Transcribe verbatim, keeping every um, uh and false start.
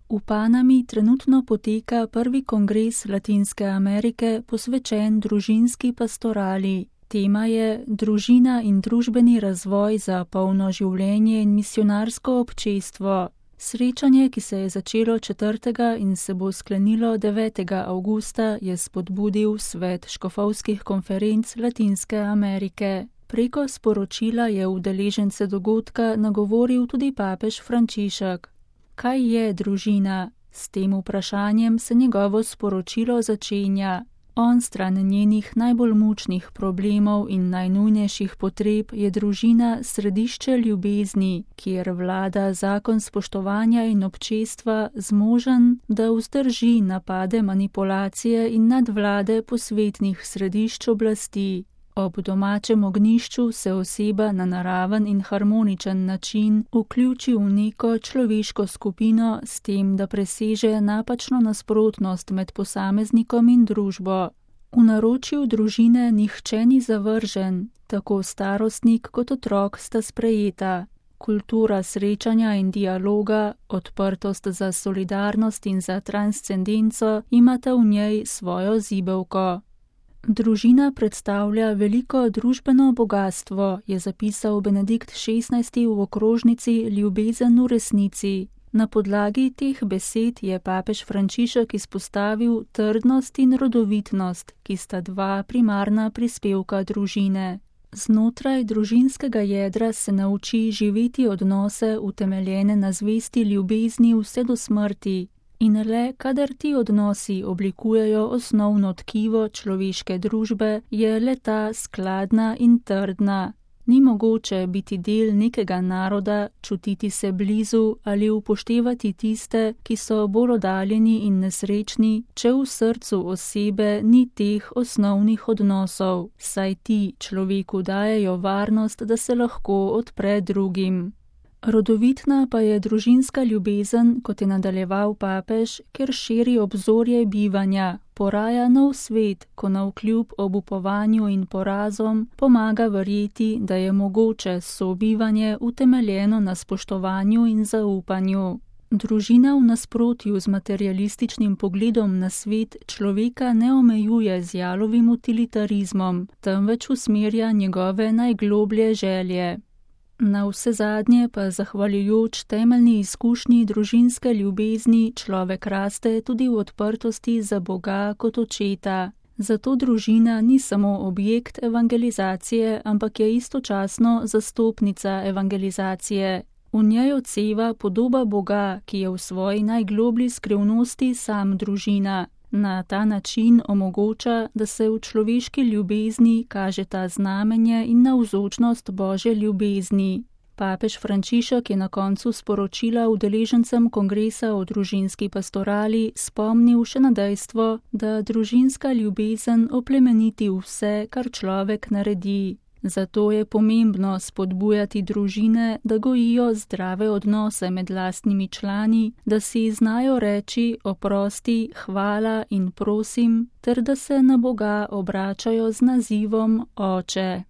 V Panami trenutno poteka prvi kongres Latinske Amerike posvečen družinski pastorali. Tema je Družina in družbeni razvoj za polno življenje in misionarsko občestvo. Srečanje, ki se je začelo četrtega in se bo sklenilo devetega avgusta, je spodbudil Svet škofovskih konferenc Latinske Amerike. Preko sporočila je udeležence dogodka nagovoril tudi papež Frančišek. Kaj je družina? S tem vprašanjem se njegovo sporočilo začenja. On stran njenih najbolj mučnih problemov in najnujnejših potreb je družina središče ljubezni, kjer vlada zakon spoštovanja in občestva zmožen, da vzdrži napade manipulacije in nadvlade posvetnih središč oblasti. Ob domačem ognjišču se oseba na naraven in harmoničen način vključi v neko človeško skupino s tem, da preseže napačno nasprotnost med posameznikom in družbo. V naročju družine nihče ni zavržen, tako starostnik kot otrok sta sprejeta. Kultura srečanja in dialoga, odprtost za solidarnost in za transcendenco imata v njej svojo zibelko. Družina predstavlja veliko družbeno bogastvo, je zapisal Benedikt šestnajsti v okrožnici Ljubezen v resnici. Na podlagi teh besed je papež Frančišek izpostavil trdnost in rodovitnost, ki sta dva primarna prispevka družine. Znotraj družinskega jedra se nauči živeti odnose utemeljene na zvesti ljubezni vse do smrti. In le, kadar ti odnosi oblikujejo osnovno tkivo človeške družbe, je le ta skladna in trdna. Ni mogoče biti del nekega naroda, čutiti se blizu ali upoštevati tiste, ki so bolj oddaljeni in nesrečni, če v srcu osebe ni teh osnovnih odnosov, saj ti človeku dajejo varnost, da se lahko odpre drugim. Rodovitna pa je družinska ljubezen, kot je nadaljeval papež, ker širi obzorje bivanja, poraja nov svet, ko navkljub obupovanju in porazom pomaga verjeti, da je mogoče sobivanje utemeljeno na spoštovanju in zaupanju. Družina v nasprotju z materialističnim pogledom na svet človeka ne omejuje z jalovim utilitarizmom, temveč usmerja njegove najgloblje želje. Na vse zadnje pa zahvaljujoč temeljni izkušnji družinske ljubezni človek raste tudi v odprtosti za Boga kot očeta. Zato družina ni samo objekt evangelizacije, ampak je istočasno zastopnica evangelizacije. V njej odseva podoba Boga, ki je v svoji najgloblji skrivnosti sam družina. Na ta način omogoča, da se v človeški ljubezni kaže ta znamenje in navzočnost Božje ljubezni. Papež Frančišek je na koncu sporočila udeležencem kongresa o družinski pastorali spomnil še na dejstvo, da družinska ljubezen oplemeniti vse, kar človek naredi. Zato je pomembno spodbujati družine, da gojijo zdrave odnose med lastnimi člani, da si znajo reči oprosti, hvala in prosim, ter da se na Boga obračajo z nazivom Oče.